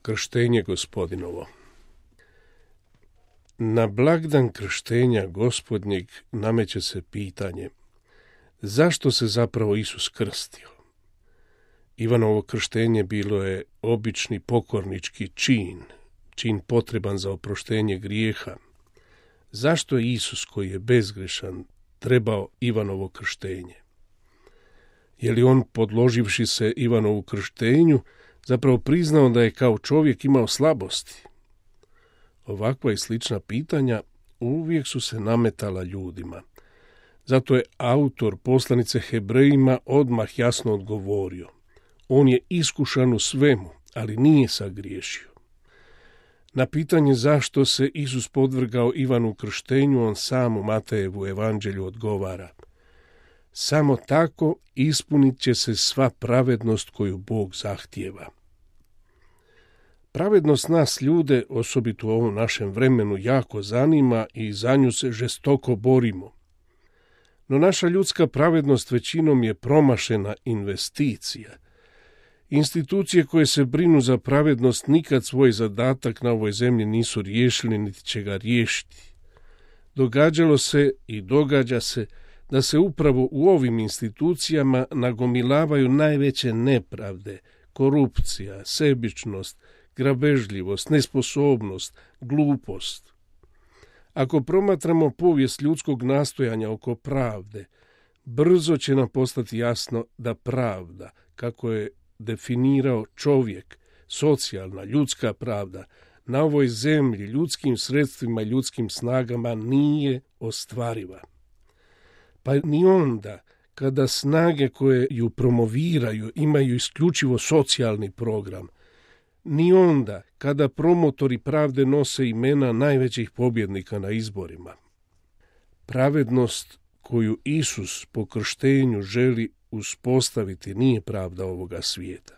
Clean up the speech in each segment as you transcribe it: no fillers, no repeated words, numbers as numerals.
Krštenje Gospodinovo. Na blagdan krštenja Gospodnjeg nameće se pitanje: zašto se zapravo Isus krstio? Ivanovo krštenje bilo je obični pokornički čin potreban za oproštenje grijeha. Zašto je Isus, koji je bezgrešan, trebao Ivanovo krštenje? Je li on, podloživši se Ivanovu krštenju, zapravo priznao da je kao čovjek imao slabosti? Ovakva i slična pitanja uvijek su se nametala ljudima. Zato je autor poslanice Hebrejima odmah jasno odgovorio: on je iskušan u svemu, ali nije sagriješio. Na pitanje zašto se Isus podvrgao Ivanu krštenju, on sam u Matejevu evanđelju odgovara: samo tako ispunit će se sva pravednost koju Bog zahtijeva. Pravednost nas ljude, osobito u ovom našem vremenu, jako zanima i za nju se žestoko borimo. No naša ljudska pravednost većinom je promašena investicija. Institucije koje se brinu za pravednost nikad svoj zadatak na ovoj zemlji nisu riješili, niti će ga riješiti. Događalo se i događa se da se upravo u ovim institucijama nagomilavaju najveće nepravde: korupcija, sebičnost, grabežljivost, nesposobnost, glupost. Ako promatramo povijest ljudskog nastojanja oko pravde, brzo će nam postati jasno da pravda, kako je definirao čovjek, socijalna, ljudska pravda, na ovoj zemlji, ljudskim sredstvima i ljudskim snagama nije ostvariva. Pa ni onda, kada snage koje ju promoviraju imaju isključivo socijalni program, ni onda kada promotori pravde nose imena najvećih pobjednika na izborima. Pravednost koju Isus po krštenju želi uspostaviti nije pravda ovoga svijeta.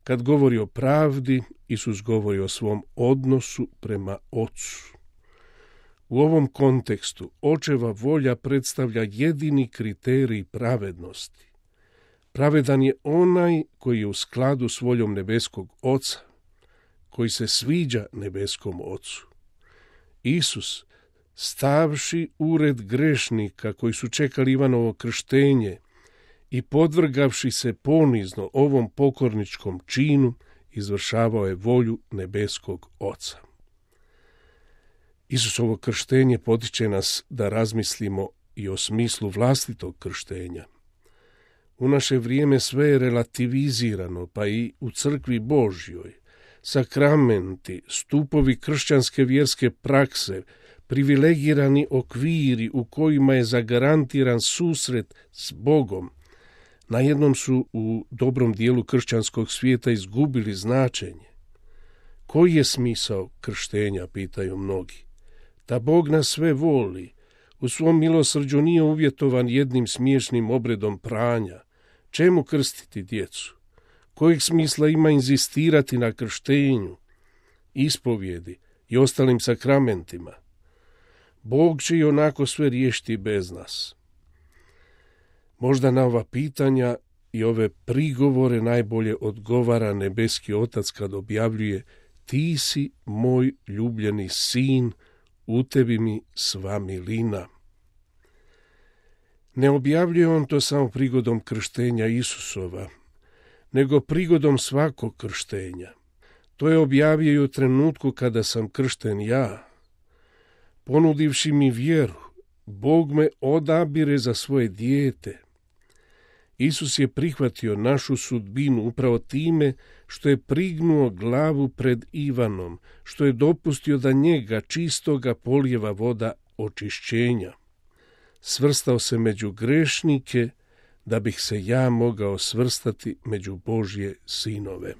Kad govori o pravdi, Isus govori o svom odnosu prema Ocu. U ovom kontekstu očeva volja predstavlja jedini kriterij pravednosti. Pravedan je onaj koji je u skladu s voljom nebeskog Oca, koji se sviđa nebeskom Ocu. Isus, stavši ured grešnika koji su čekali Ivanovo krštenje i podvrgavši se ponizno ovom pokorničkom činu, izvršavao je volju nebeskog Oca. Isusovo krštenje potiče nas da razmislimo i o smislu vlastitog krštenja. U naše vrijeme sve je relativizirano, pa i u crkvi Božjoj. Sakramenti, stupovi kršćanske vjerske prakse, privilegirani okviri u kojima je zagarantiran susret s Bogom, najednom su u dobrom dijelu kršćanskog svijeta izgubili značenje. Koji je smisao krštenja, pitaju mnogi? Da Bog nas sve voli, u svom milosrđu nije uvjetovan jednim smiješnim obredom pranja. Čemu krstiti djecu? Kojeg smisla ima inzistirati na krštenju, ispovjedi i ostalim sakramentima? Bog će i onako sve riješiti bez nas. Možda na ova pitanja i ove prigovore najbolje odgovara nebeski Otac kad objavljuje: ti si moj ljubljeni sin, u tebi mi sva milina. Ne objavljuje on to samo prigodom krštenja Isusova, nego prigodom svakog krštenja. To je objavio i u trenutku kada sam kršten ja. Ponudivši mi vjeru, Bog me odabire za svoje dijete. Isus je prihvatio našu sudbinu upravo time što je prignuo glavu pred Ivanom, što je dopustio da njega čistoga polijeva voda očišćenja. Svrstao se među grešnike, da bih se ja mogao svrstati među Božje sinove.